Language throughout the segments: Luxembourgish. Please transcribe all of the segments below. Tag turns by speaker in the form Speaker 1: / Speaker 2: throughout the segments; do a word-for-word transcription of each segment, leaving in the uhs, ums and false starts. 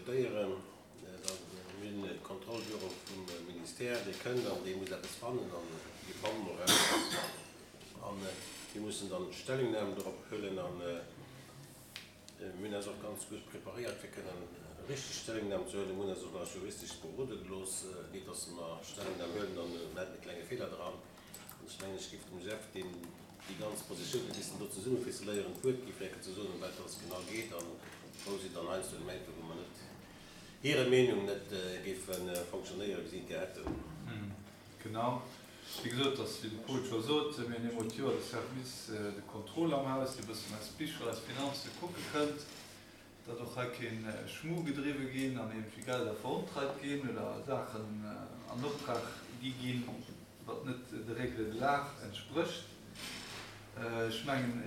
Speaker 1: diskutéieren. Mir hunn e Kontrollbüro vum Ministère, dee kënnt an dee muss eppes fannen an déi fannen och eppes. An mir mussen dann Stellungnahmen dorop huelen an mir hunn eis och ganz gutt preparéiert, fir kënnen richteg Stellungnahm ze huelen. Mir hunn eis och nach juristesch berode gelooss, nit dass mer Stellungnahm huelen an mir hätten e klenge Feeler dran. An ech mengen, ech géif dem Jeff, deen déi ganz Positioun huet missen do zesummeficeléieren, d'Wuert gi fir ze soen, ëm wat dass genau geet an wou si dann heiansdo Elementer, wou mer net hirer Meenung net géife fonctionnéieren, wéi si et gär hätten.
Speaker 2: Genau. Wéi gesot, dass, wéi de Paul scho sot, mir hunn eemol d'Joer de Service de contrôle am Haus, dee e bëssen eis Bicher, eis Finanze kucke kënnt, datt och hei kee Schmu gedriwwe ginn an iergendwéi Gelder verontreit ginn oder Saachen an Optrag gi ginn, wat net de Règles de l'art entsprécht. Ech mengen,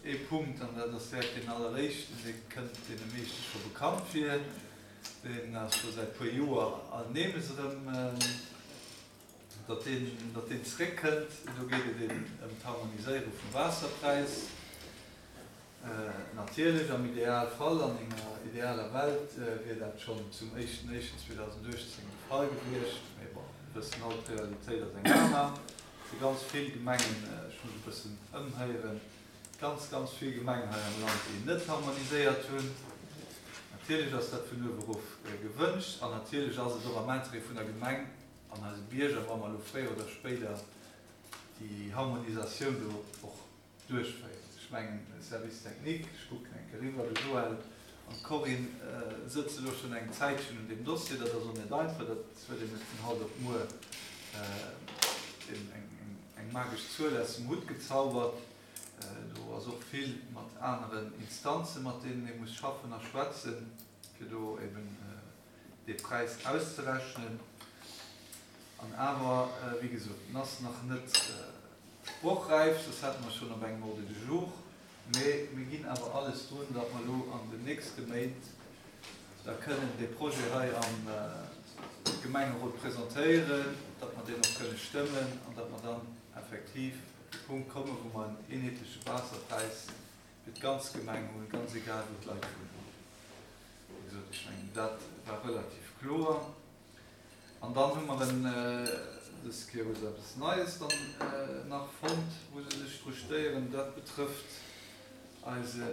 Speaker 2: ee Punkt, an dat ass direkt deen alleréischten, dee kënnt deene meeschte scho bekannt vir, deen ass scho säit puer Joer alt nemes erëm, datt deen, datt deen zréckkënnt. Do geet et eben ëm d'Harmoniséierung vum Waasserpräis. Natierlech, am Idealfall, an enger idealer Welt, wier dat schonn zum éischten éischten zweedausenduechtzéng de Fall gewiescht. Mee bon, mir wëssen all, d'Realitéit ass eng aner. Et si ganz vill Gemengen, ech muss e bëssen ëmhéieren, ganz, ganz vill Gemengen hei am Land, déi net harmoniséiert hunn. Natierlech ass dat vun uewe erof gewënscht an natierlech ass et och am Interêt vun der Gemeng an eise Bierger, wa mer elo fréier oder spéider déi Harmonisatioun do och duerchféieren. Ech mengen, de Service technique, ech kucken eng Kéier eriwwer, de Joël an d'Corinne sëtze lo schonn eng Zäitchen un deem Dossier. Dat ass och net einfach, dat huet een net vun haut op muer eng magesch Zuel aus dem Hutt gezaubert. Do ass och vill mat aneren Instanzen, mat deenen ee muss schaffen a schwätzen, fir do eben dee Präis auszerechnen. An awer, wéi gesot, en ass nach net sprochräif, soss hätte mer schonn op engem Ordre du jour. Mee mir ginn awer alles drun, datt mer elo an den nächste Méint da kënnen dee Projet hei am Gemengerot presentéieren, datt mer deen och kënne stëmmen an datt mer dann effektiv op de Punkt kommen, wou mer en eenheetleche Waasserpräis fir d'ganz Gemeng hunn, ganz egal wou d'Leit wunnen. Wéi gesot, ech mengen, dat war relativ kloer. An dann hu mer en, dës Kéier hu se eppes Neies dann nach fonnt, wou se sech dru stéieren. Dat betrëfft eise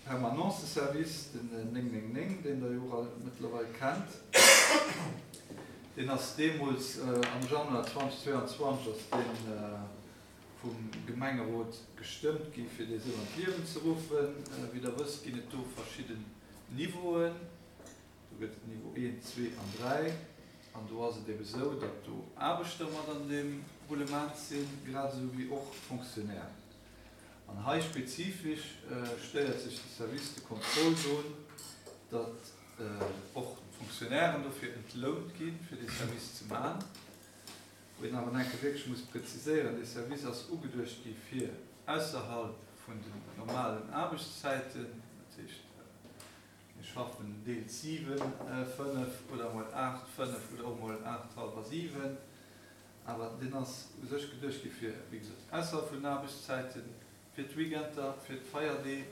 Speaker 2: Permanenceservice, den néng néng néng, deen Der jo och all mëttlerweil kennt. Deen ass deemools am Januar zweedausendzweianzwanzeg ass dee vum Gemengerot gestëmmt gi fir dee esou an d'Liewen ze ruffen. Wéi Der wësst, ginn et do verschidden Niveauen. Do gëtt et Niveau een, zwee an dräi. An do ass et ebe sou, datt do Aarbechter mat an deem Roulement sinn, grad esou wéi och Fonctionnairen. An hei spezifesch stéiert sech de Service de contrôle drun, datt och d'Fonctionnairen dofir entlount ginn, fir dee Service ze maachen. Wou een awer enke wierklech muss präziséieren, Dee Service ass ugeduecht gi fir ausserhalb vun den normalen Aarbechtszäiten, dat heescht, mir schaffen deels siwen, fënnef oder emol aacht, fënnef oder och emol aacht, hallwer siwen. Awer deen ass u sech geduecht gi fir, wéi gesot, ausserhalb vun den Aarbechtszäiten, fir d'Weekender, fir d'Feierdee,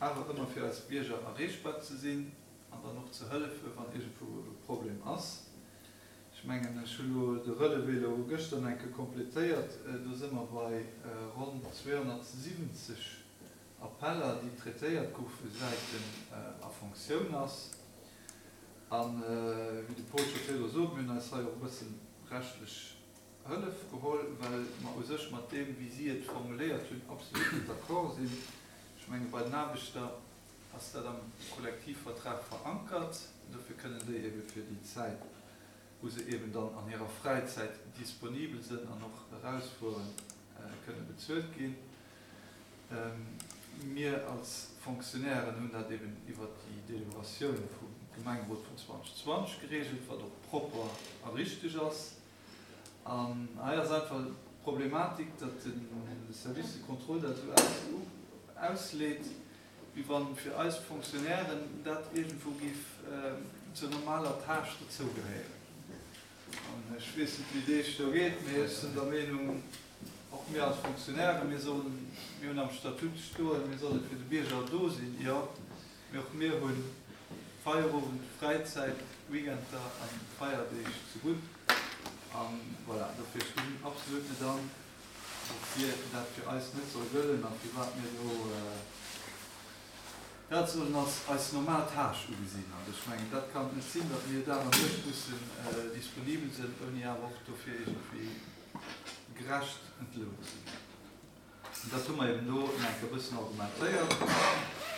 Speaker 2: awer ëmmer fir eis Bierger erreechbar ze sinn an dann och ze hëllefen, wann iergendwou e Problem ass. Ech mengen, ech hu lo de Relevé elo gëschter eng Kéier completéiert, do si mer bei ronn zweehonnertsiwwenzeg Appeller, déi traitéiert goufe säit en a Fonctioun ass. A wéi de Paul scho virdru sot, mir hunn eis hei och e bësse rechtlech Hëllef geholl, well mer u sech mat deem, wéi si et formuléiert hunn, absolut net d'accord sinn. Ech menge bei den Aarbechter ass dat am Kollektivvertrag verankert. Dofir kënnen déi ebe fir déi Zäit, wou se eben dann an hirer Fräizäit disponibel sinn an och erausfueren, kënne bezuelt ginn. Mir als Fonctionnairen hunn dat eben iwwert déi Deliberatioun vum Gemengerot vun zweedausendzwanzeg geregelt, wat och propper a richteg ass. An hei ass einfach d'Problematik, datt de Service de contrôle dat esou ausleet, wéi wa fir eis Fonctionnairen dat iergendwou géif zur normaler Tâche dozougehéieren. An ech weess net, wéi et Iech do geet, mee ech sinn der Meenung, och mir als Fonctionnairen, mir sollen, mir hunn am Statut stoen, mir solle fir de Bierger do sinn, jo, mee och mir hunn Feierowend, Fräizäit, Weekender an Feierdeeg zegutt. An voilà, dofir ech gesinn absolut net an, woufir dat fir eis net soll gëllen a firwat mir do dat sollen als eis normal Tâche ugesinn. Also ech mengen, dat kann et net sinn, datt mir Dag an Nuecht mussen disponibel sinn, ouni awer och dofir iergendwéi gerecht entlount ze ginn. An dat hu mer eben do nach eng Kéier e bëssen argumentéiert.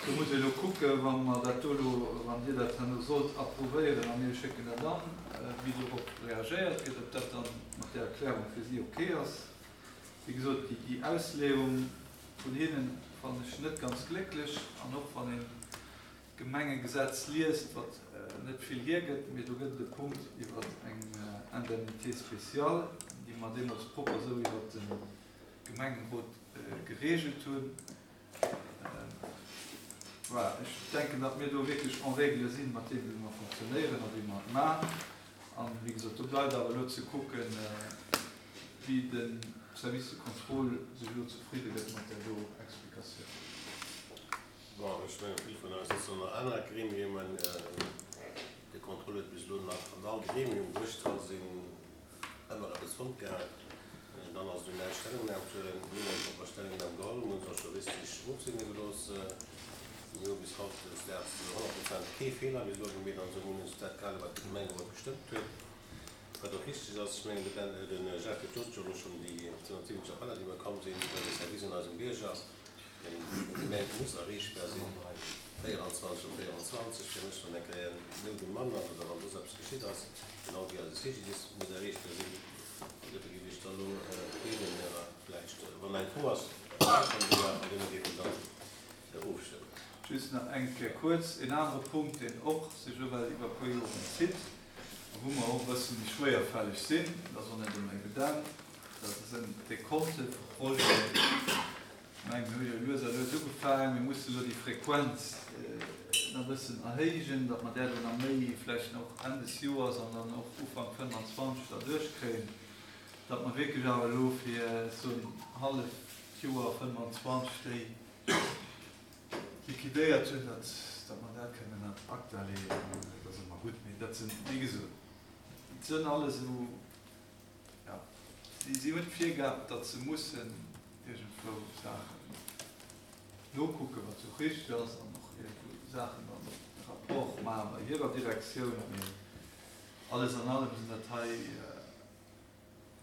Speaker 2: Do muss ee elo kucken, wa mer dat do elo, wann Dir dat herno sollt approuvéieren a mir schécken dat an, wéi dorop reagéiert gëtt, ob dat dann mat där Erklärung fir si ok ass. Wéi gesot, déi Ausleeung vun hinnen fannen ech net ganz glécklech. An och wann een d'Gemengegesetz liest, wat net vill hiergëtt, mee do gëtt et e Punkt iwwer eng Indemnité spéciale, déi mer deemools propper esou iwwer de Gemengerot geregelt hunn. Voilà, ech denken, datt mir do wierklech en règle si mat deem, wéi mer fonctionnéieren a wéi mer et maachen. An, wéi gesot, do bleift awer elo ze kucken, wéi de Service de contrôle sech elo zefridde gëtt mat där do Explikatioun.
Speaker 1: Bon, ech mengen, vill vun eis sëtzen an anere Gremiumen. De Contrôle huet bis elo nach an all Gremium, wou ech dra sinn, ëmmer eppes fonnt gehat. Dann ass et un eis, Stellungnam ze huelen. Mir hunn eng propper Stellungnam geholl, mir hunn se och juristesch ofsegne gelooss. Mir hu bis hautdesdaags zu honnert Prozent kee Feeler bis elo gemeet an esou hunn ech dat gehale wat de Gemengerot gestëmmt huet, wat och richteg ass. Ech mengen, de Ben, de Jacques huet jo elo schonn déi zweehunnertsiwwenzeg Appeller, déi mer komm sinn iwwer de Service un eisem Bierger, deen de Gemengt muss erreechbar sinn, véierundzwanzeg op véierundzwanzeg, fir mech wann eng Kéier Nout um Mann ass oder wann soss eppes geschitt ass, genau wéi eise C G D I S muss erreechbar sinn. An dofir géif ech da elo bieden, vläicht, wann eng Fro ass, an duerno géife mer dann ofstëmmen.
Speaker 2: Just nach eng Kéier kuerz en anere Punkt, deen och sech elo well iwwer e puer Joren zitt a wou mer och e bësse méi schwéierfälleg sinn, dat ass och net ëmmer evident, dat sinn d'Dekonte vu Projeten. Ech mengen, mir hu jo lues a lues ugefaangen, mir mussen elo déi Frequenz nach e bëssen erhéijen, datt mer där do nach méi vläicht och Enn des Joers an dann och Ufank fënnfanzwanzeg da duerchkréien, datt mer wierklech awer elo fir esou en halleft Joer fënnefanzwanzeg déi liquidéiert hunn, datt datt mer dat kënnen ad acta leeën, dat ass ëmmer gutt. Mee dat sinn, wéi gesot, et sënn alles esou, jo, si si hunn d'Virgab, datt se mussen iergendwou Saachen nokucken, wat jo och richteg ass, an och iergendwou Saachen dann e Rapport maache bei hirer Direktioun. Mee alles an allem sinn dat hei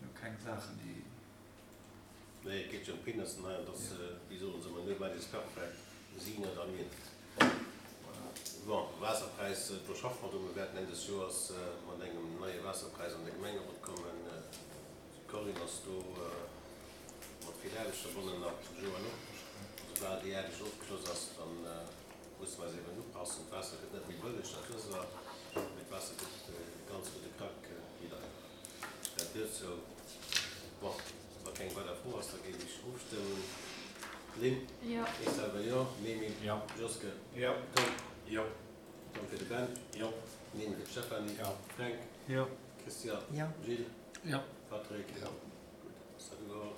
Speaker 2: jo keng Saachen, déi.
Speaker 1: Nee, et geet jo ëm Peanuts hei, an dass, wéi soen se ëmmer, nobody is perfect, si net a mir net. Bon, Waasserpräis, do schaffe mer dru. Mir wäerten Enn des Joers mat engem neie Waasserpräis an de Gemengerot kommen. D'Corinne ass do mat vill Aarbecht verbonnen, nach de Joël och. Soubal déi Aarbecht ofgeschloss ass, da musse mer eis eben upassen. D'Waasser gëtt net méi bëlleg, dat wësst Der, mee d'Waasser gëtt e ganz gudde Krack méi deier. Dat duerzou. Bon, wa keng weider Fro ass, da géif ech ofstëmmen. Lynn?
Speaker 3: Jo.
Speaker 1: Ech selwer jo. Mimi?
Speaker 4: Jo.
Speaker 1: Joske?
Speaker 4: Jo.
Speaker 1: Tom?
Speaker 4: Jo.
Speaker 1: Tom fir de Ben?
Speaker 4: Jo.
Speaker 1: Mimi fir d'Stéphanie?
Speaker 4: Jo.
Speaker 1: Fränk?
Speaker 2: Jo.
Speaker 1: Christian?
Speaker 5: Jo.
Speaker 1: Gilles?
Speaker 4: Jo.
Speaker 1: Patrick?
Speaker 4: Jo.
Speaker 1: Gutt, ass dat ugeholl.